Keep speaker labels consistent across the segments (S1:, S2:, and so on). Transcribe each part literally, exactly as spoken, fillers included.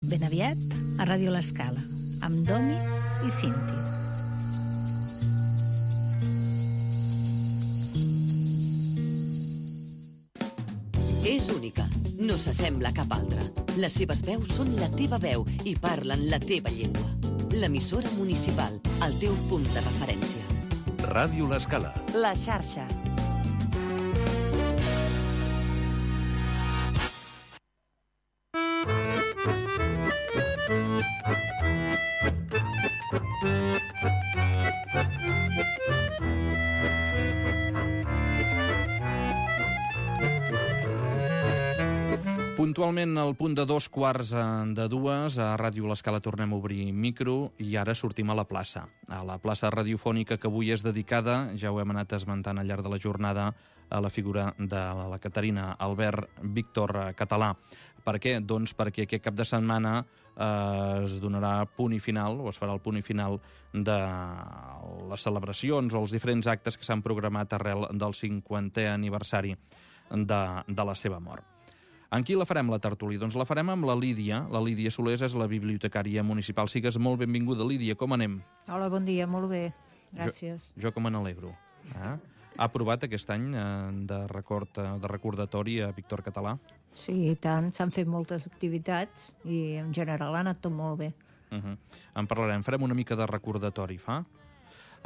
S1: Ben aviat, a Ràdio L'Escala, amb Domi i Cinti.
S2: És única, no s'assembla a cap altra. Les seves veus són la teva veu i parlen la teva llengua. L'emissora municipal, el teu punt de referència.
S3: Ràdio L'Escala.
S4: La xarxa.
S5: Puntualment al punt de dos quarts de dues, a Ràdio L'Escala tornem a obrir micro i ara sortim a la plaça. A la plaça radiofònica que avui és dedicada, ja ho hem anat esmentant al llarg de la jornada, a la figura de la Caterina Albert Víctor Català. Per què? Doncs perquè aquest cap de setmana eh, es donarà punt i final, o es farà el punt i final de les celebracions o els diferents actes que s'han programat arrel del cinquantè aniversari de, de la seva mort. En qui la farem, la tertúlia? Doncs la farem amb la Lídia. La Lídia Solés és la bibliotecària municipal. Sigues molt benvinguda, Lídia. Com anem?
S6: Hola, bon dia, molt bé. Gràcies.
S5: Jo, jo com me n'alegro. Eh? Ha aprovat aquest any eh, de, record, de recordatori a Víctor Català?
S6: Sí, i tant. S'han fet moltes activitats i en general ha anat tot molt bé.
S5: Uh-huh. En parlarem. Farem una mica de recordatori, fa?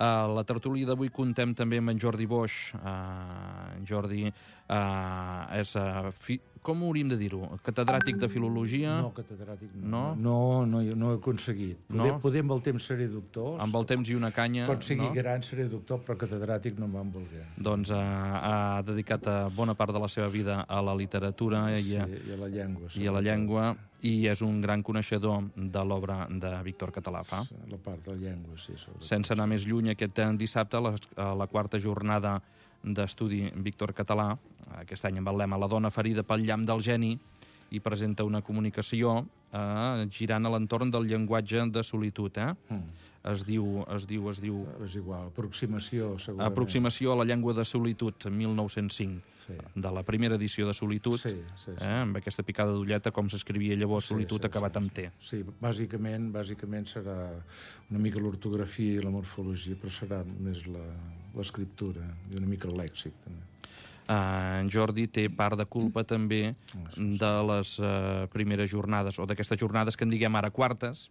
S5: A la tertúlia d'avui contem també amb en Jordi Boix. Uh, en Jordi uh, és... Uh, fi... Com hauríem de dir-ho? Catedràtic de Filologia?
S7: No, catedràtic no.
S5: No?
S7: No, no, no he aconseguit. Poder,
S5: No?
S7: poder amb el temps seré doctor.
S5: Amb el temps i una canya...
S7: Quan sigui
S5: no?
S7: gran seré doctor, però catedràtic no em van voler.
S5: Doncs uh, ha dedicat uh, bona part de la seva vida a la literatura i
S7: Sí,
S5: a,
S7: i a la llengua.
S5: i a la llengua, i és un gran coneixedor de l'obra de Víctor Català, fa.
S7: La part de la llengua, sí. Sobretot.
S5: Sense anar més lluny, aquest dissabte, a la, a la quarta jornada d'estudi Víctor Català, aquest any amb el lema La dona ferida pel llamp del geni, i presenta una comunicació eh, girant a l'entorn del llenguatge de solitud. Eh? Mm. Es diu, es diu, es diu...
S7: És igual, aproximació, segurament.
S5: Aproximació a la llengua de solitud, mil nou-cents cinc,
S7: Sí.
S5: de la primera edició de Solitud,
S7: Sí, sí, sí.
S5: Eh, amb aquesta picada d'ulleta, com s'escrivia llavors
S7: Sí,
S5: Solitud
S7: sí,
S5: acabat
S7: sí.
S5: amb T.
S7: Sí, bàsicament, bàsicament serà una mica l'ortografia i la morfologia, però serà més la, l'escriptura i una mica el lèxic, també.
S5: Uh, en Jordi té part de culpa també de les uh, primeres jornades, o d'aquestes jornades que en diguem ara quartes,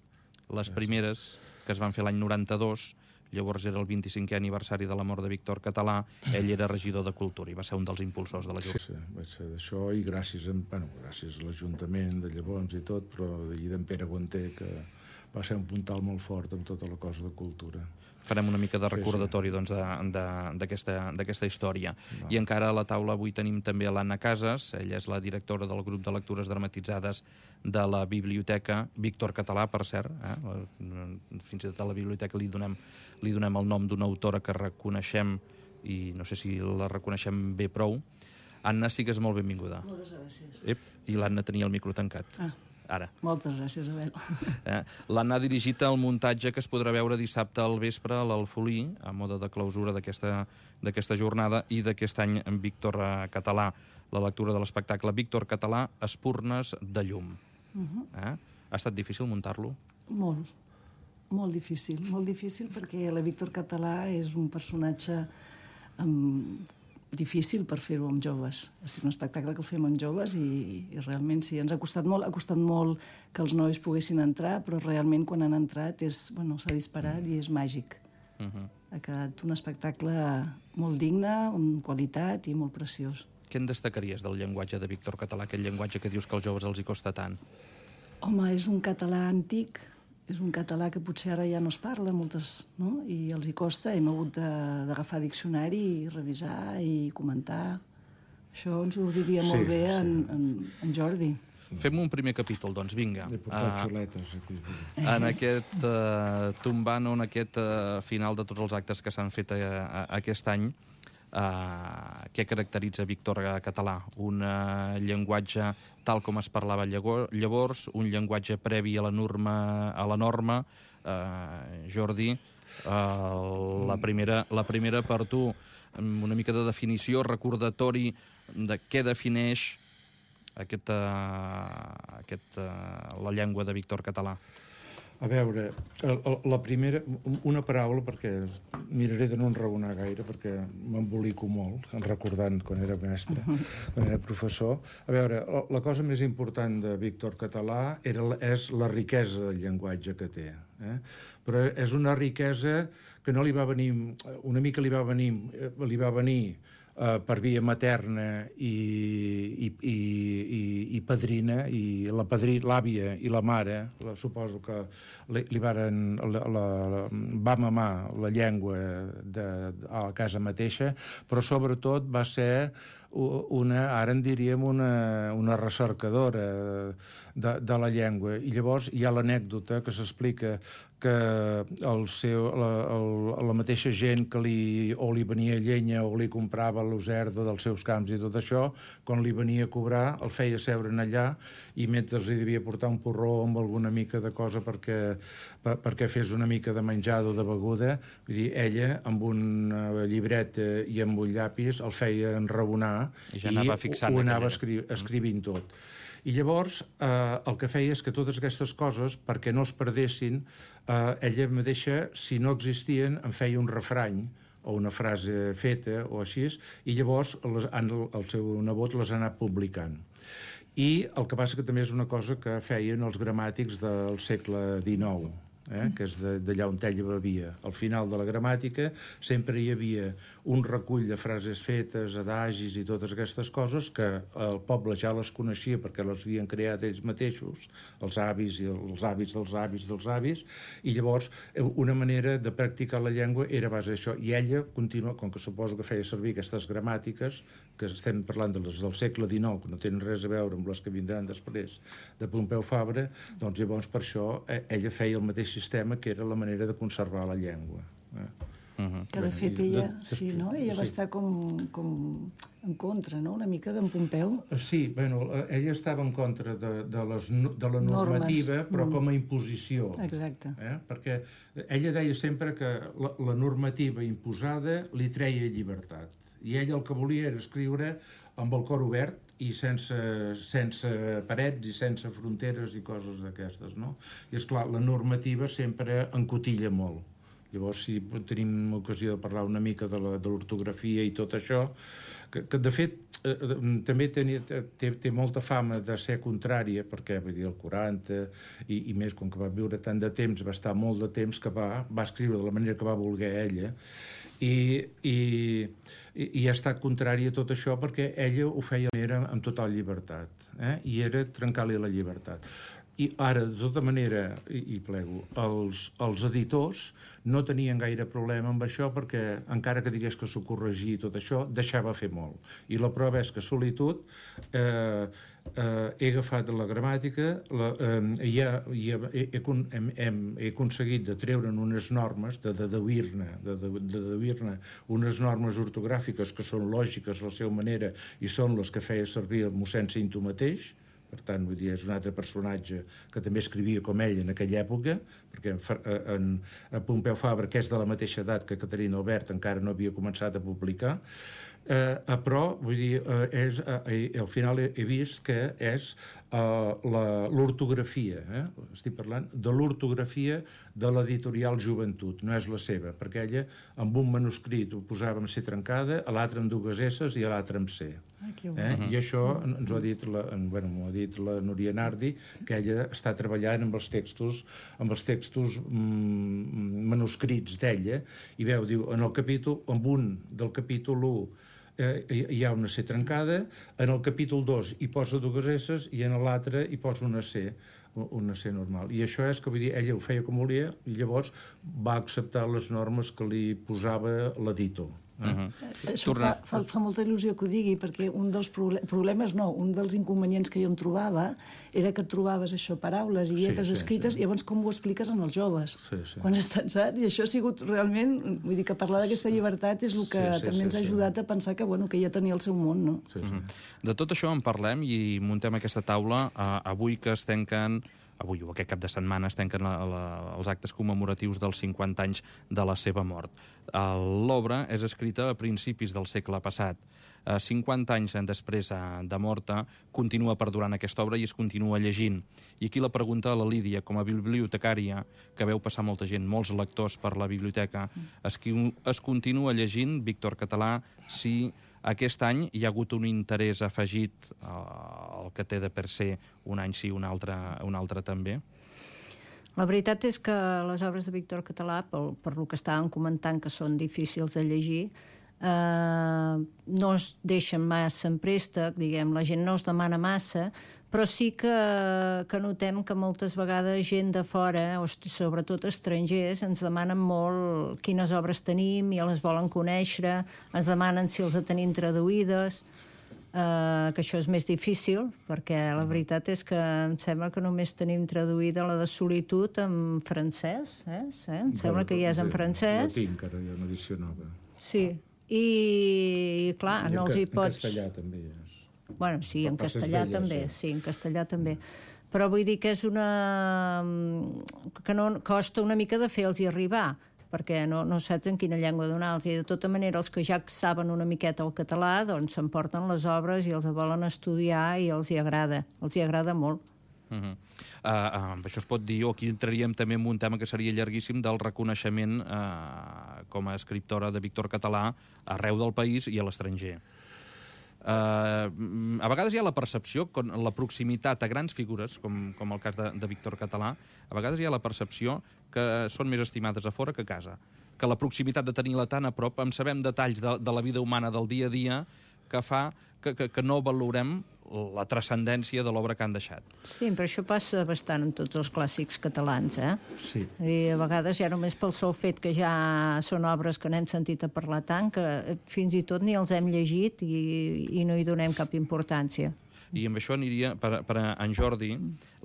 S5: les primeres que es van fer l'any noranta-dos, llavors era el vint-i-cinquè aniversari de la mort de Víctor Català, ell era regidor de Cultura i va ser un dels impulsors de la jornada.
S7: Sí, sí, vaig ser d'això i gràcies, a, bueno, gràcies a l'Ajuntament de llavors i tot, però i d'en Pere Guanter, que va ser un puntal molt fort amb tota la cosa de cultura.
S5: Farem una mica de recordatori doncs, d'aquesta història. Va. I encara a la taula avui tenim també l'Anna Casas, ella és la directora del grup de lectures dramatitzades de la Biblioteca Víctor Català, per cert. Eh? Fins i tot a la biblioteca li donem, li donem el nom d'una autora que reconeixem, i no sé si la reconeixem bé prou. Anna, sigues molt benvinguda.
S8: Moltes gràcies.
S5: Ep, i l'Anna tenia el micro tancat.
S8: Ah.
S5: Ara.
S8: Moltes gràcies, Abel.
S5: Eh? L'Anna ha dirigit el muntatge que es podrà veure dissabte al vespre a l'Alfolí, a moda de clausura d'aquesta jornada, i d'aquest any en Víctor Català, la lectura de l'espectacle Víctor Català, Espurnes de llum. Uh -huh. eh? Ha estat difícil muntar-lo?
S8: Molt, molt difícil, molt difícil perquè la Víctor Català és un personatge amb... difícil per fer-ho amb joves. És un espectacle que el fem amb joves i, i realment sí, ens ha costat molt, ha costat molt que els nois poguessin entrar, però realment quan han entrat és, bueno, s'ha disparat i és màgic. Uh -huh. Ha quedat un espectacle molt digne, amb qualitat i molt preciós.
S5: Què en destacaries del llenguatge de Víctor Català, aquest llenguatge que dius que als joves els hi costa tant?
S8: Home, és un català antic, és un català que potser ara ja no es parla moltes, no? I els hi costa, hem hagut d'agafar diccionari i revisar i comentar. Això ens ho diria sí, molt bé sí. en, en, en Jordi.
S5: Fem un primer capítol, doncs, vinga.
S7: He portat uh, xuletes aquí.
S5: En aquest uh, tombant, en aquest uh, final de tots els actes que s'han fet uh, aquest any, Uh, què caracteritza Víctor Català? Un uh, llenguatge tal com es parlava llavors, un llenguatge previ a la norma, a la norma. Uh, Jordi, uh, la, primera, la primera per tu, una mica de definició, recordatori de què defineix aquest, uh, aquest, uh, la llengua de Víctor Català?
S7: A veure, el, el, la primera, una paraula, perquè miraré de no enraonar gaire, perquè m'embolico molt, recordant quan era mestre, quan era professor. A veure, la, la cosa més important de Víctor Català era, és la riquesa del llenguatge que té. Eh? Però és una riquesa que no li va venir, una mica li va venir, li va venir Uh, per via materna i, i, i, i, i padrina, i la padrí, l'àvia i la mare, la, suposo que li, li varen, la, la, la, va mamar la llengua de, de, a la casa mateixa, però sobretot va ser una, ara en diríem, una, una recercadora de, de la llengua. I llavors hi ha l'anècdota que s'explica que el seu, la, el, la mateixa gent que li, o li venia llenya o li comprava l'userda dels seus camps i tot això, quan li venia a cobrar, el feia seure allà i mentre li devia portar un porró amb alguna mica de cosa perquè, per, perquè fes una mica de menjada o de beguda, vull dir, ella amb una llibreta i amb un llapis el feia enraonar
S5: i, ja anava
S7: i ho, ho anava escri escrivint tot. I llavors eh, el que feia és que totes aquestes coses, perquè no es perdessin, eh, ella mateixa, si no existien, en feia un refrany o una frase feta o així, i llavors les, el seu nebot les ha anat publicant. I el que passa que també és una cosa que feien els gramàtics del segle dinou, eh, que és d'allà on ella bevia. Al final de la gramàtica sempre hi havia un recull de frases fetes, adagis i totes aquestes coses que el poble ja les coneixia perquè les havien creat ells mateixos, els avis i els avis dels avis dels avis, i llavors una manera de practicar la llengua era a base d'això. I ella continua, com que suposo que feia servir aquestes gramàtiques, que estem parlant de les del segle dinou, que no tenen res a veure amb les que vindran després de Pompeu Fabra, doncs llavors per això ella feia el mateix sistema que era la manera de conservar la llengua. Eh?
S8: Uh-huh. Que de fet ella, sí, no? ella va sí. estar com, com en contra, no? Una mica d'en Pompeu.
S7: Sí, bueno, ella estava en contra de, de, les, de la normativa, normes. Però com a imposició.
S8: Exacte.
S7: Eh? Perquè ella deia sempre que la, la normativa imposada li treia llibertat. I ella el que volia era escriure amb el cor obert i sense, sense parets i sense fronteres i coses d'aquestes, no? I esclar, la normativa sempre encotilla molt. Llavors, si tenim ocasió de parlar una mica de l'ortografia i tot això, que, que de fet eh, també tenia, té, té molta fama de ser contrària, perquè vull dir, el quaranta, i, i més, com que va viure tant de temps, va estar molt de temps, que va, va escriure de la manera que va voler ella, i, i, i ha estat contrària a tot això perquè ella ho feia amb total llibertat, eh? I era trencar-li la llibertat. I ara, de tota manera, i, i plego, els, els editors no tenien gaire problema amb això perquè, encara que digués que s'ho corregia i tot això, deixava fer molt. I la prova és que Solitud eh, eh, he agafat la gramàtica, la, eh, ja, ja he, he, hem, he aconseguit de treure'n unes normes, de deduir-ne de, de, de deduir-ne unes normes ortogràfiques que són lògiques a la seva manera i són les que feia servir el mossèn Cinto mateix. Per tant, vull dir, és un altre personatge que també escrivia com ell en aquella època, perquè en, en Pompeu Fabra, que és de la mateixa edat que Caterina Albert, encara no havia començat a publicar, eh, però, vull dir, eh, és, eh, al final he, he vist que és eh, l'ortografia, eh? Estic parlant de l'ortografia de l'editorial Joventut, no és la seva, perquè ella amb un manuscrit ho posava amb C trencada, a l'altre amb dues S i a l'altre amb C. Eh? I això ens ho ha dit la, bueno, m'ho ha dit la Núria Nardi, que ella està treballant amb els textos amb els textos mm, manuscrits d'ella, i veu, diu, en el capítol, en un del capítol u eh, hi ha una C trencada, en el capítol dos hi posa dues S i en l'altre hi posa una C, una C normal. I això és que, vull dir, ella ho feia com volia i llavors va acceptar les normes que li posava l'editor.
S8: Uh-huh. Això fa, fa, fa molta il·lusió que ho digui, perquè un dels proble problemes, no, un dels inconvenients que jo em trobava era que et trobaves això, paraules i lletres sí, sí, escrites, sí. I llavors com ho expliques en els joves? Sí, sí. Quan estan, saps? I això ha sigut realment, vull dir que parlar d'aquesta llibertat és el que sí, sí, també ens ha ajudat sí. A pensar que, bueno, que ja tenia el seu món, no?
S5: Sí, sí. Uh-huh. De tot això en parlem i muntem aquesta taula uh, avui que es tanquen avui o aquest cap de setmana es tanquen la, la, els actes commemoratius dels cinquanta anys de la seva mort. L'obra és escrita a principis del segle passat. eh, cinquanta anys després eh, de morta, continua perdurant aquesta obra i es continua llegint. I aquí la pregunta a la Lídia, com a bibliotecària, que veu passar molta gent, molts lectors per la biblioteca, es, es continua llegint Víctor Català si aquest any hi ha hagut un interès afegit al que té de per ser un any sí, un altre, un altre també?
S6: La veritat és que les obres de Víctor Català, per, per lo que estàvem comentant, que són difícils de llegir, eh, no es deixen massa en préstec, diguem, la gent no es demana massa, però sí que, que notem que moltes vegades gent de fora, o sobretot estrangers, ens demanen molt quines obres tenim i les volen conèixer, ens demanen si els tenim traduïdes, eh, que això és més difícil, perquè la veritat és que em sembla que només tenim traduïda la de Solitud en francès, eh? eh? Em sembla que ja és en francès.
S7: La tinc, ara, hi ha una edició nova.
S6: Sí, i, i clar, no els hi pots...
S7: En castellà també és.
S6: Bueno, sí, en castellà també, sí, en castellà també. Però vull dir que és una... que no costa una mica de fer-los arribar, perquè no, no saps en quina llengua donar-los. I de tota manera, els que ja saben una miqueta el català, doncs s'emporten les obres i els volen estudiar i els hi agrada, els hi agrada molt.
S5: Uh -huh. uh, uh, això es pot dir, o aquí entraríem també en un tema que seria llarguíssim del reconeixement uh, com a escriptora de Víctor Català arreu del país i a l'estranger. Uh, a vegades hi ha la percepció, con la proximitat a grans figures, com, com el cas de, de Víctor Català, a vegades hi ha la percepció que són més estimades a fora que a casa. Que la proximitat de tenir-la tan a prop, en sabem detalls de, de la vida humana del dia a dia, que fa que, que, que no valorem la transcendència de l'obra que han deixat.
S6: Sí, però això passa bastant amb tots els clàssics catalans, eh?
S7: Sí.
S6: I a vegades ja només pel sol fet que ja són obres que n'hem sentit a parlar tant que fins i tot ni els hem llegit i, i no hi donem cap importància.
S5: I amb això aniria per, per a en Jordi,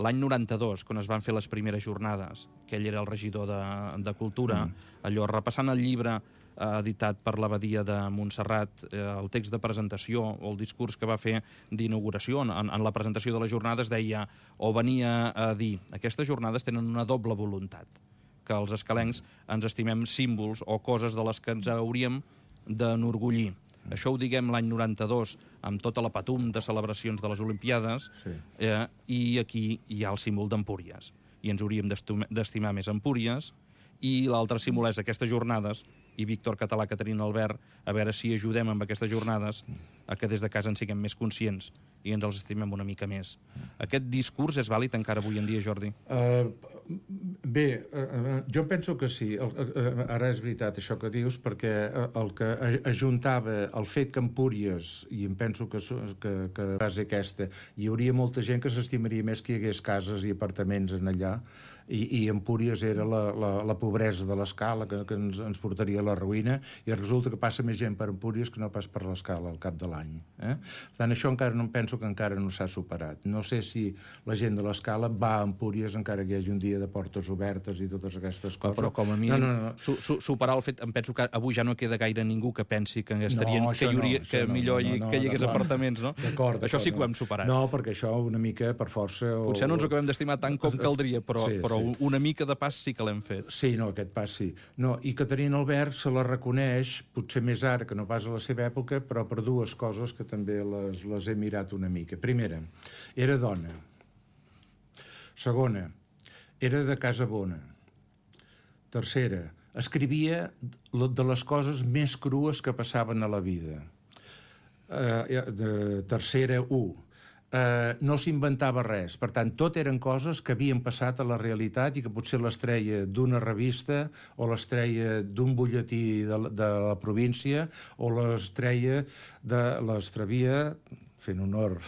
S5: l'any noranta-dos, quan es van fer les primeres jornades, que ell era el regidor de, de Cultura, mm. allò, repassant el llibre editat per l'Abadia de Montserrat, eh, el text de presentació o el discurs que va fer d'inauguració en, en la presentació de les jornades deia, o venia a dir, aquestes jornades tenen una doble voluntat, que els escalencs ens estimem símbols o coses de les que ens hauríem d'enorgullir. Això ho diguem l'any noranta-dos, amb tota la patum de celebracions de les Olimpiades, sí. eh, i aquí hi ha el símbol d'Empúries. I ens hauríem d'estimar més Empúries, i l'altre símbol és aquestes jornades, i Víctor Català, Caterina Albert, a veure si ajudem amb aquestes jornades a que des de casa en siguem més conscients i ens els estimem una mica més. Aquest discurs és vàlid encara avui en dia, Jordi? Uh,
S7: bé, uh, jo penso que sí. El, uh, ara és veritat això que dius, perquè el que ajuntava el fet que Empúries, i em penso que, que, que la frase aquesta, hi hauria molta gent que s'estimaria més que hi hagués cases i apartaments en allà, i, i Empúries era la, la, la pobresa de l'escala que, que ens, ens portaria a la ruïna, i resulta que passa més gent per Empúries que no pas per l'escala al cap de l'any. Eh? Per tant, això encara no penso que encara no s'ha superat. No sé si la gent de l'escala va a Empúries encara que hi hagi un dia de portes obertes i totes aquestes coses.
S5: Però com a mínim, no, no, no. Su, su, superar el fet, em penso que avui ja no queda gaire ningú que pensi que, estarien, no, que, hi hauria, no, que no, millor no, no, no, que hi hagués apartaments, no?
S7: D'acord.
S5: Això sí que ho hem superat.
S7: No, perquè això una mica per força... O...
S5: Potser no ens ho acabem d'estimar tant com caldria, però, sí, però sí. una mica de pas sí que l'hem fet.
S7: Sí, no, aquest pas sí. No, i Caterina Albert se la reconeix, potser més ara que no pas a la seva època, però per dues coses que també les, les he mirat una mica. Primera, era dona. Segona, era de casa bona. Tercera, escrivia de les coses més crues que passaven a la vida. Uh, de, tercera, u. Uh, no s'inventava res. Per tant, tot eren coses que havien passat a la realitat i que potser les treia d'una revista o les treia d'un butlletí de, de la província o les treia de les travia, fent honor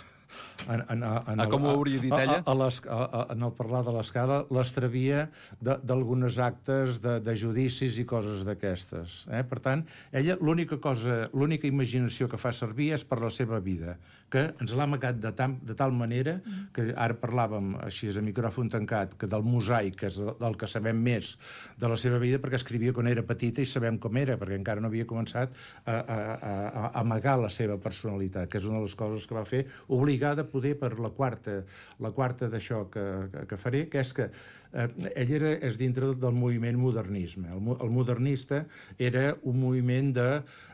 S7: en, en, en,
S5: a com ho hauria dit ella?
S7: A, a, a, a, en el parlar de l'escala, l'extravia d'algunes actes de, de judicis i coses d'aquestes. Eh? Per tant, ella l'única cosa, l'única imaginació que fa servir és per la seva vida, que ens l'ha amagat de, tam, de tal manera que ara parlàvem així a micròfon tancat, que del mosaic, que és del que sabem més de la seva vida, perquè escrivia quan era petita i sabem com era, perquè encara no havia començat a, a, a, a amagar la seva personalitat, que és una de les coses que va fer, obligada poder per la quarta, la quarta d'això que, que, que faré, que és que eh, ell era, és dintre del moviment modernisme. El, el modernista era un moviment de,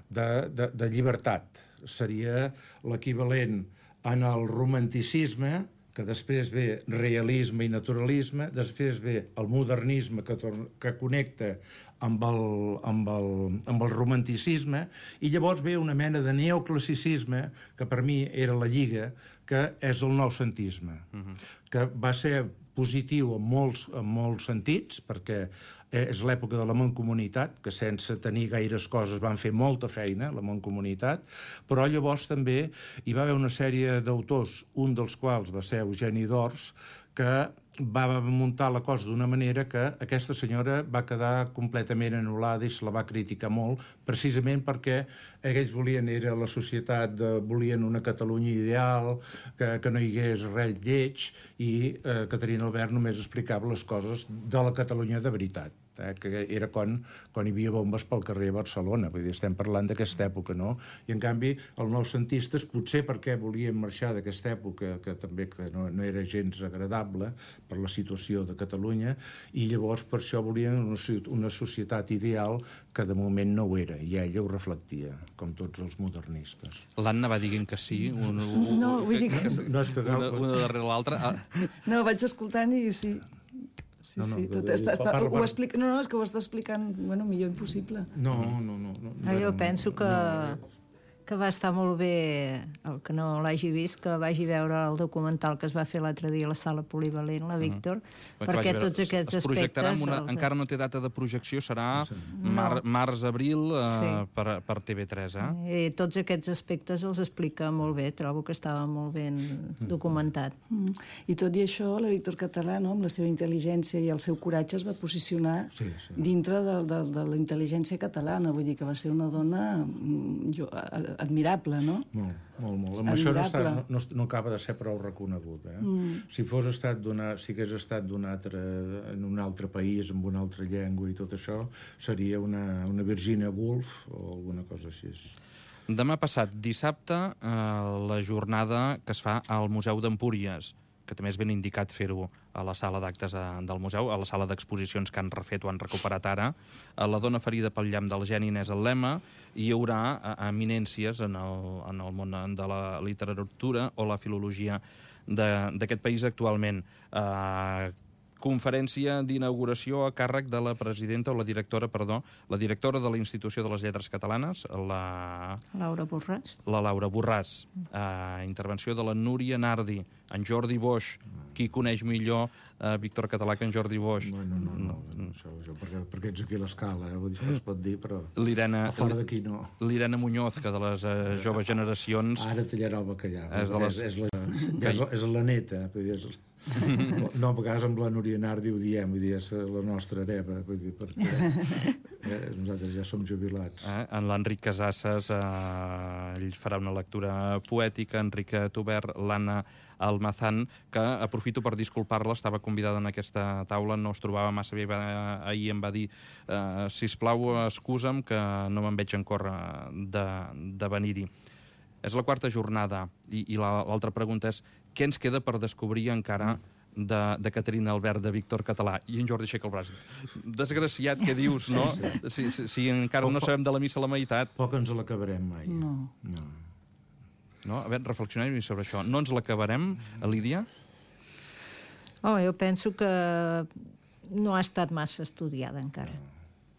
S7: de, de, de llibertat, seria l'equivalent en el romanticisme, que després ve realisme i naturalisme, després ve el modernisme que, que connecta amb el, amb, el, amb el romanticisme, i llavors ve una mena de neoclassicisme, que per mi era la lliga, que és el noucentisme, uh-huh. que va ser positiu en molts, en molts sentits, perquè és l'època de la mancomunitat, que sense tenir gaires coses van fer molta feina, la mancomunitat, però llavors també hi va haver una sèrie d'autors, un dels quals va ser Eugeni d'Ors, que va muntar la cosa d'una manera que aquesta senyora va quedar completament anul·lada i se la va criticar molt, precisament perquè ells volien, era la societat, de, volien una Catalunya ideal, que, que no hi hagués res lleig, i eh, Caterina Albert només explicava les coses de la Catalunya de veritat. Eh, que era quan, quan hi havia bombes pel carrer a Barcelona, vull dir, estem parlant d'aquesta època, no? I en canvi, els noucentistes, potser perquè volien marxar d'aquesta època, que també que no, no era gens agradable per la situació de Catalunya, i llavors per això volien una, una societat ideal que de moment no ho era, i ella ho reflectia, com tots els modernistes.
S5: L'Anna va dient que sí, un, un,
S8: no, vull dir que...
S7: No, és que
S5: una, una darrere l'altra. Ah.
S8: No, vaig escoltant i sí... Sí, no, no, sí, tot està, està, parla, parla. Ho explica, no, no, és que ho està explicant, bueno, millor impossible.
S7: No, no, no. no,
S6: no jo penso que, no, que va estar molt bé, el que no l'hagi vist, que vagi veure el documental que es va fer l'altre dia a la sala polivalent, la Víctor, uh-huh. perquè tots aquests
S5: es
S6: aspectes...
S5: Una, els... Encara no té data de projecció, serà mar, no. març-abril uh, sí. per, per T V tres, eh?
S6: I tots aquests aspectes els explica molt bé, trobo que estava molt ben documentat.
S8: Mm. I tot i això, la Víctor Català, no, amb la seva intel·ligència i el seu coratge, es va posicionar sí, sí. dintre de, de, de la intel·ligència catalana, vull dir que va ser una dona jo, admirable, no?
S7: Molt, molt, molt. Amb això no, està, no, no acaba de ser prou reconegut, eh? Mm. Si fos estat donat, si hagués estat d'un altre, en un altre país, amb una altra llengua i tot això, seria una, una Virginia Woolf o alguna cosa així.
S5: Demà passat, dissabte, eh, la jornada que es fa al Museu d'Empúries, que també és ben indicat fer-ho a la sala d'actes del museu, a la sala d'exposicions que han refet o han recuperat ara. A la dona ferida pel llamp del geni n'és el lema, i hi haurà eminències en el, en el món de la literatura o la filologia d'aquest país actualment. Eh, conferència d'inauguració a càrrec de la presidenta o la directora, perdó, la directora de la Institució de les Lletres Catalanes, la...
S6: Laura Borràs.
S5: La Laura Borràs. Uh, intervenció de la Núria Nardi, en Jordi Boix. Qui coneix millor uh, Víctor Català que en Jordi Boix?
S7: No, no, no, no, no això, això, perquè, perquè ets aquí a l'escala, eh? Vull dir, es pot dir, però
S5: a
S7: fora d'aquí no.
S5: L'Irene Muñoz, que de les uh, joves generacions...
S7: Ara tallarà el bacallà.
S5: És, de les...
S7: és, és, la, és, és la neta, vull dir, és... No, a vegades amb la Núria Nardi ho diem, vull dir, és la nostra hereva, vull dir, perquè eh, nosaltres ja som jubilats.
S5: Eh, en l'Enric Casasses, eh, ell farà una lectura poètica, Enric Tubert, l'Anna Almazán, que aprofito per disculpar-la, estava convidada en aquesta taula, no es trobava massa bé, va, ahir em va dir eh, sisplau, excusa'm, que no me'n veig en córrer de, de venir-hi. És la quarta jornada, i, i l'altra pregunta és què ens queda per descobrir encara de, de Caterina Albert, de Víctor Català? I en Jordi aixeca el braç. Desgraciat, què dius, no? Si, si, si encara no sabem de la missa a la meitat.
S7: Poc ens l'acabarem mai.
S8: No.
S7: No.
S5: No? A veure, reflexionem sobre això. No ens l'acabarem, Lídia?
S6: Oh, jo penso que no ha estat massa estudiada encara.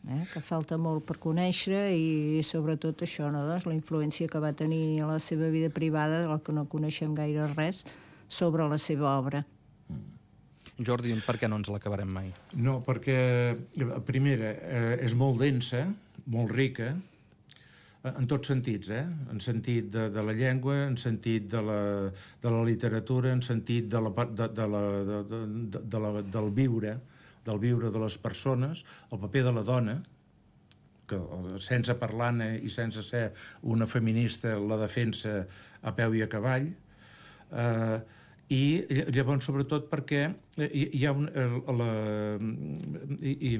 S6: Eh? Que falta molt per conèixer i sobretot això, no? Doncs, la influència que va tenir a la seva vida privada, de la que no coneixem gaire res, sobre la seva obra.
S5: Jordi, per què no ens l'acabarem mai?
S7: No, perquè, primera, eh, és molt densa, molt rica, en tots sentits, eh? En sentit de, de la llengua, en sentit de la, de la literatura, en sentit de la, de, de la, de, de, de la, del viure, del viure de les persones, el paper de la dona, que sense parlar-ne i sense ser una feminista la defensa a peu i a cavall, eh, i llavors sobretot perquè hi, hi ha un, la, i, i,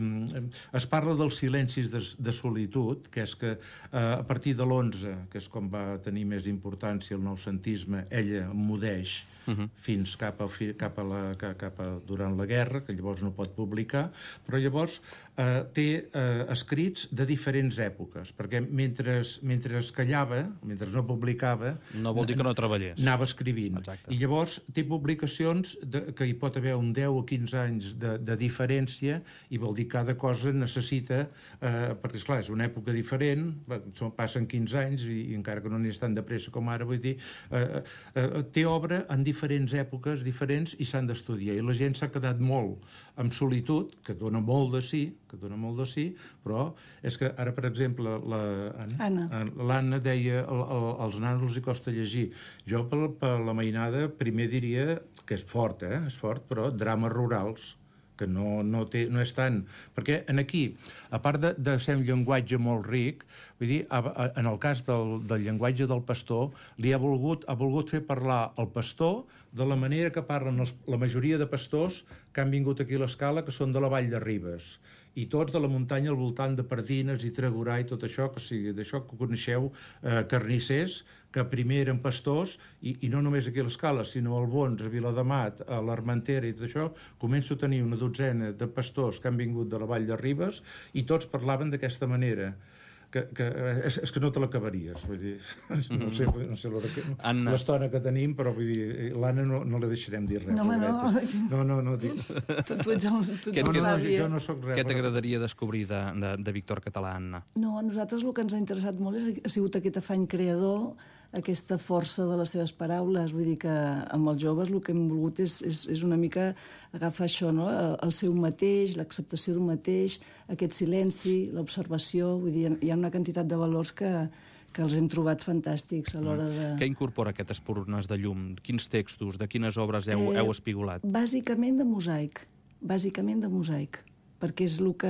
S7: es parla dels silencis de, de solitud, que és que a partir de l'onze, que és com va tenir més importància el noucentisme, ella mudeix uh-huh. fins cap a, cap, a la, cap a durant la guerra, que llavors no pot publicar, però llavors eh, té eh, escrits de diferents èpoques, perquè mentre, mentre es callava, mentre no publicava...
S5: No vol dir que no treballés.
S7: Anava escrivint.
S5: Exacte.
S7: I llavors té publicacions de, que hi pot haver un deu o quinze anys de, de diferència, i vol dir que cada cosa necessita, eh, perquè esclar, és una època diferent, passen quinze anys, i, i encara que no n'hi és tan de pressa com ara, vull dir, eh, eh, té obra en diferents èpoques diferents i s'han d'estudiar. I la gent s'ha quedat molt amb solitud, que dona molt de sí, que dona molt de sí, però és que ara, per exemple, l'Anna deia el, el, als nanos els hi costa llegir. Jo, per, per la mainada, primer diria que és fort, eh? És fort, però drames rurals, que no, no, té, no és tant... Perquè en aquí, a part de, de ser un llenguatge molt ric, vull dir, a, a, en el cas del, del llenguatge del pastor, li ha volgut, ha volgut fer parlar el pastor de la manera que parlen els, la majoria de pastors que han vingut aquí a l'Escala, que són de la Vall de Ribes, i tots de la muntanya al voltant de Pardines i Tregorà i tot això, que sigui d'això que coneixeu, eh, carnissers, que primer eren pastors, i, i no només aquí a l'Escala, sinó al Bons, a Viladamat, a l'Armentera i tot això, començo a tenir una dotzena de pastors que han vingut de la Vall de Ribes i tots parlaven d'aquesta manera. Que, que, és, és que no te l'acabaries, vull dir, no sé, no sé l'estona que tenim, però vull dir, l'Anna no, no la deixarem dir res.
S8: No, home, no.
S7: No, no, no. Tu,
S8: tu ets un, tu ets
S7: no, no, no, jo no soc res.
S5: Què t'agradaria descobrir de, de, de Víctor Català, Anna?
S8: No, a nosaltres el que ens ha interessat molt és, ha sigut aquest afany creador, aquesta força de les seves paraules. Vull dir que amb els joves el que hem volgut és, és, és una mica agafar això, no? El, el seu mateix, l'acceptació d'un mateix, aquest silenci, l'observació. Vull dir, hi ha una quantitat de valors que, que els hem trobat fantàstics a l'hora de...
S5: Què incorpora aquestes espurnes de llum? Quins textos, de quines obres heu, eh, heu espigolat?
S8: Bàsicament de mosaic. Bàsicament de mosaic. Perquè és, el que,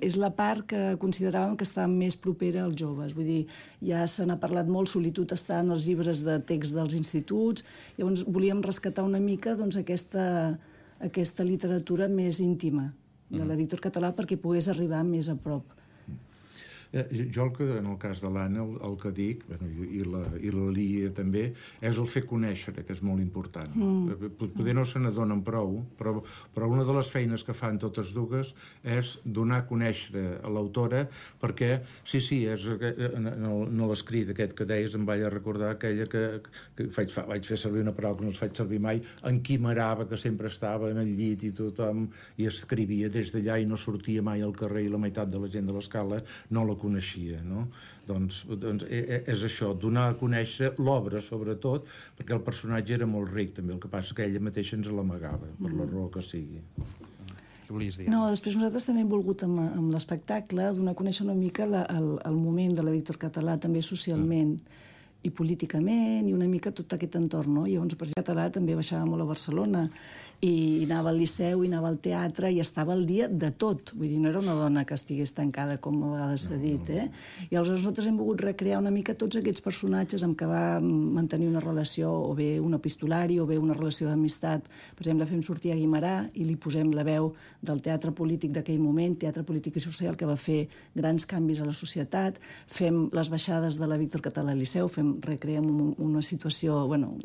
S8: és la part que consideràvem que estava més propera als joves. Vull dir, ja se n'ha parlat molt, solitud està en els llibres de text dels instituts, llavors volíem rescatar una mica doncs, aquesta, aquesta literatura més íntima de la Víctor Català perquè pogués arribar més a prop.
S7: Eh, jo, el que, en el cas de l'Anna, el, el que dic, bueno, i, la, i la Lia també, és el fer conèixer, que és molt important. Mm. Poder no se n'adonen prou, però, però una de les feines que fan totes dues és donar a conèixer a l'autora, perquè, sí, sí, és, en, en l'escrit aquest que deies em vaig a recordar aquella que, que faig, fa, vaig fer servir una paraula que no es faig servir mai, enquimarava, que sempre estava en el llit i tothom, i escrivia des d'allà i no sortia mai al carrer, i la meitat de la gent de l'Escala no la coneixia, no? Doncs, doncs és això, donar a conèixer l'obra, sobretot, perquè el personatge era molt ric, també. El que passa que ella mateixa ens l'amagava, per la raó que sigui.
S5: Què volies dir?
S8: No, després nosaltres també hem volgut, amb, amb l'espectacle, donar a conèixer una mica la, el, el moment de la Víctor Català, també socialment i políticament, i una mica tot aquest entorn, no? Llavors, per exemple, Català també baixava molt a Barcelona, i anava al Liceu, i anava al teatre, i estava al dia de tot. Vull dir, no era una dona que estigués tancada, com a vegades s'ha dit, eh? I aleshores nosaltres hem volgut recrear una mica tots aquests personatges amb què va mantenir una relació, o bé un epistolari, o bé una relació d'amistat. Per exemple, fem sortir a Guimerà i li posem la veu del teatre polític d'aquell moment, teatre polític i social, que va fer grans canvis a la societat. Fem les baixades de la Víctor Català al Liceu, fem, recreem una situació, bueno,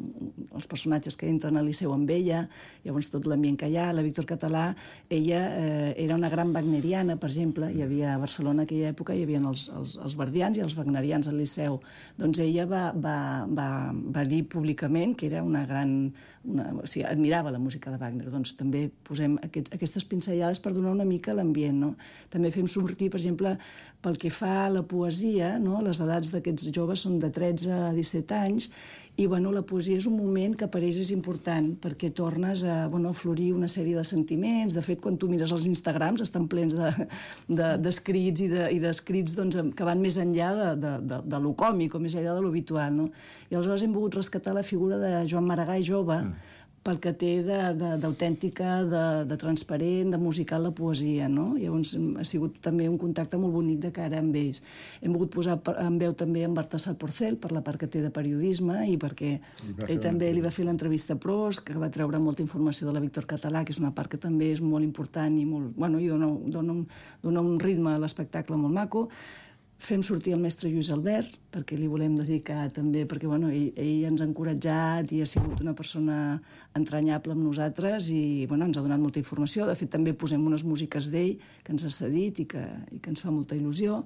S8: els personatges que entren al Liceu amb ella, llavors tot l'ambient que hi ha. La Víctor Català, ella eh, era una gran wagneriana, per exemple. Hi havia a Barcelona, en aquella època, hi havia els, els, els verdians i els wagnerians al Liceu. Doncs ella va, va, va, va dir públicament que era una gran... Una, o sigui, admirava la música de Wagner. Doncs també posem aquests, aquestes pinzellades per donar una mica l'ambient, no? També fem sortir, per exemple, pel que fa a la poesia, no? Les edats d'aquests joves són de tretze a disset anys, i bueno, la poesia és un moment que per ells és important, perquè tornes a, bueno, a florir una sèrie de sentiments. De fet, quan tu mires els Instagrams, estan plens d'escrits de, de, i d'escrits doncs, que van més enllà de, de, de, de lo còmic o més enllà de lo habitual, no? I aleshores hem volgut rescatar la figura de Joan Maragall jove, pel que té d'autèntica, de, de, de transparent, de musical la poesia, no? Llavors ha sigut també un contacte molt bonic de cara amb ells. Hem volgut posar en veu també en Baltasar Porcel per la part que té de periodisme i perquè ell també li va fer l'entrevista a Pros, que va treure molta informació de la Víctor Català, que és una part que també és molt important i, molt, bueno, i dona, dona, un, dona un ritme a l'espectacle molt maco. Fem sortir el mestre Lluís Albert, perquè li volem dedicar també, perquè bueno, ell, ell ens ha encoratjat i ha sigut una persona entranyable amb nosaltres i bueno, ens ha donat molta informació. De fet, també posem unes músiques d'ell que ens ha cedit i que, i que ens fa molta il·lusió.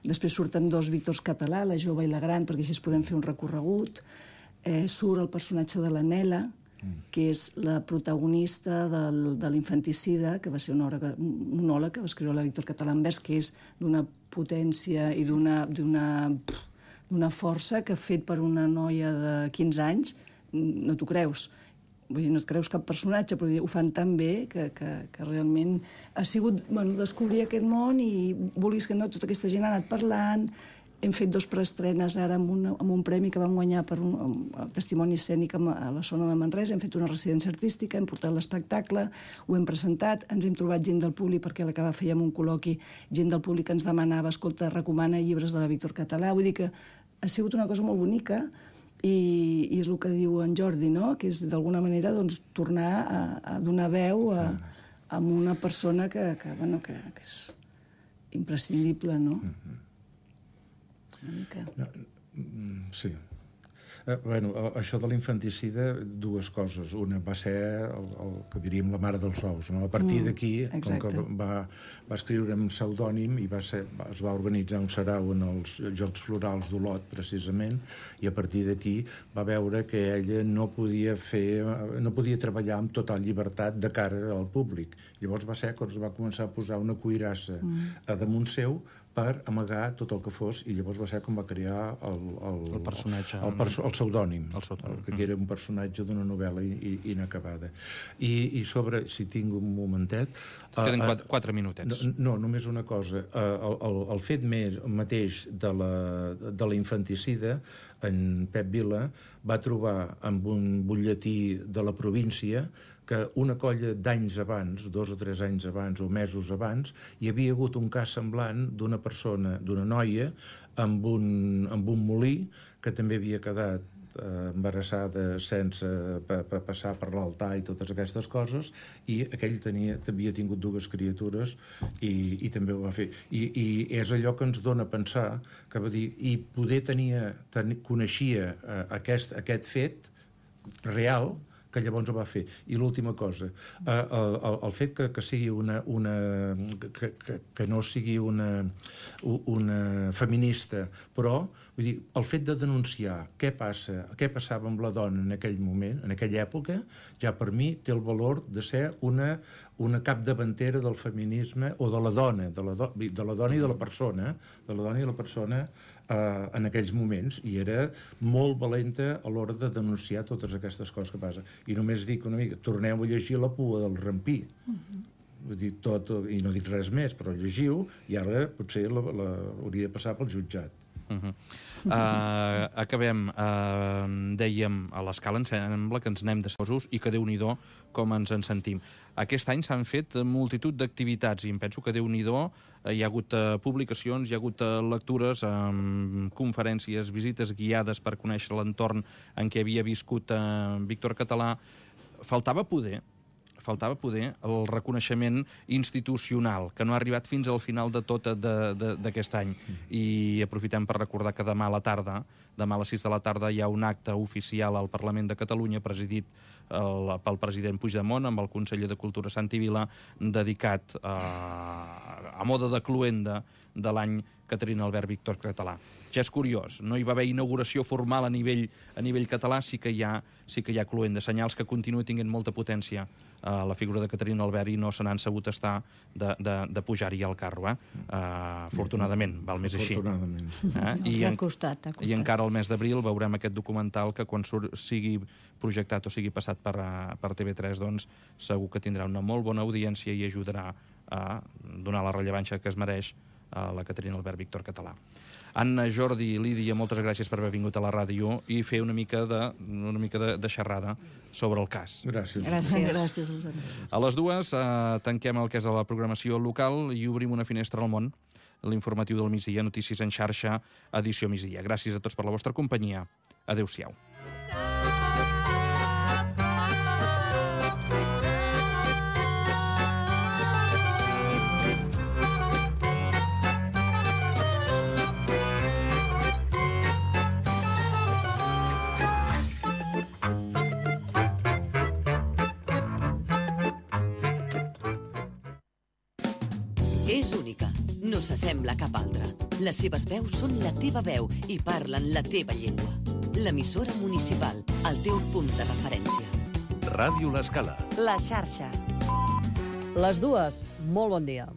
S8: Després surten dos Víctors Català, la jove i la gran, perquè així podem fer un recorregut. Eh, surt el personatge de la Nela, que és la protagonista del, de l'infanticida, que va ser una obra, un monòleg que va escriure la Víctor Català en vers, que és d'una potència i d'una força que, fet per una noia de quinze anys, no t'ho creus. Vull dir, no et creus cap personatge, però ho fan tan bé que, que, que realment ha sigut, bueno, descobrir aquest món i vulguis que no, tota aquesta gent ha anat parlant. Hem fet dos preestrenes ara amb, una, amb un premi que vam guanyar per un, un testimoni escènic a la zona de Manresa. Hem fet una residència artística, hem portat l'espectacle, ho hem presentat, ens hem trobat gent del públic, perquè a l'acabar fèiem un col·loqui, gent del públic ens demanava, escolta, recomana llibres de la Víctor Català. Vull dir que ha sigut una cosa molt bonica i, i és el que diu en Jordi, no? Que és d'alguna manera doncs, tornar a, a donar veu a, a una persona que, que, bueno, que, que és imprescindible, no? Mm-hmm.
S7: No, sí. Eh, bueno, això de l'infanticida, dues coses. Una va ser el, el que diríem la mare dels ous, no? A partir mm, d'aquí, com que va, va escriure amb pseudònim i va ser, va, es va organitzar un sarau en els Jocs Florals d'Olot, precisament, i a partir d'aquí va veure que ella no podia fer, no podia treballar amb total llibertat de cara al públic. Llavors va ser quan es va començar a posar una cuirassa mm. a damunt seu per amagar tot el que fos, i llavors va ser com va crear el, el,
S5: el personatge,
S7: el, el, el pseudònim,
S5: el pseudònim.
S7: que era un personatge d'una novel·la inacabada. I, i sobre, si tinc un momentet...
S5: Es queden uh, quatre, quatre minutets.
S7: No, no, només una cosa. Uh, el, el, el fet més, mateix de la, de la infanticida, en Pep Vila va trobar amb un butlletí de la província que una colla d'anys abans, dos o tres anys abans o mesos abans, hi havia hagut un cas semblant d'una persona, d'una noia, amb un, amb un molí que també havia quedat eh, embarassada sense pa, pa, passar per l'altar i totes aquestes coses, i aquell tenia, havia tingut dues criatures i, i també ho va fer. I, i és allò que ens dona a pensar, que va dir, i poder tenia, ten, coneixia eh, aquest, aquest fet real, que llavors ho va fer. I l'última cosa, eh, el, el fet que, que sigui una... una que, que, que no sigui una, una feminista, però vull dir, el fet de denunciar què passa, què passava amb la dona en aquell moment, en aquella època, ja per mi té el valor de ser una, una capdavantera del feminisme, o de la dona, de la, do, de la dona i de la persona, de la dona i la persona eh, en aquells moments, i era molt valenta a l'hora de denunciar totes aquestes coses que passen. I només dic una mica, torneu a llegir La Pua del Rampí. Uh-huh. Vull dir, tot, i no dic res més, però llegiu, i ara potser la, la, hauria de passar pel jutjat.
S5: Uh-huh. uh, acabem, uh, dèiem, a l'escala ens sembla que ens anem de sosos i que Déu-n'hi-do com ens en sentim. Aquest any s'han fet multitud d'activitats i em penso que Déu-n'hi-do, hi ha hagut uh, publicacions, hi ha hagut uh, lectures, um, conferències, visites guiades per conèixer l'entorn en què havia viscut uh, Víctor Català. Faltava poder, faltava poder el reconeixement institucional, que no ha arribat fins al final de tot d'aquest any. I aprofitem per recordar que demà a la tarda, demà a les sis de la tarda, hi ha un acte oficial al Parlament de Catalunya, presidit el, pel president Puigdemont, amb el conseller de Cultura Santi Vila, dedicat a, a moda de cluenda de l'any Caterina Albert Víctor Català. Ja és curiós, no hi va haver inauguració formal a nivell, a nivell català, sí que hi ha, sí que hi ha cluenda, senyals que continua tinguent molta potència a la figura de Caterina Albert i no se n'han sabut estar de, de, de pujar-hi al carro. Eh? Uh, afortunadament, val més així.
S7: Afortunadament.
S5: Eh? I,
S6: en, costat, costat.
S5: I encara al mes d'abril veurem aquest documental que quan sur, sigui projectat o sigui passat per, per T V tres, doncs segur que tindrà una molt bona audiència i ajudarà a donar la rellevància que es mereix a la Caterina Albert Víctor Català. Anna, Jordi i Lídia, moltes gràcies per haver vingut a la ràdio i fer una mica de, una mica de, de xerrada sobre el cas.
S7: Gràcies.
S6: Gràcies.
S8: Gràcies a vosaltres.
S5: A les dues eh, tanquem el que és la programació local i obrim una finestra al món, l'informatiu del migdia, notícies en xarxa, edició migdia. Gràcies a tots per la vostra companyia. Adéu-siau.
S2: És única, no s'assembla a cap altra. Les seves veus són la teva veu i parlen la teva llengua. L'emissora municipal, el teu punt de referència.
S3: Ràdio L'Escala.
S4: La xarxa. Les dues, molt bon dia.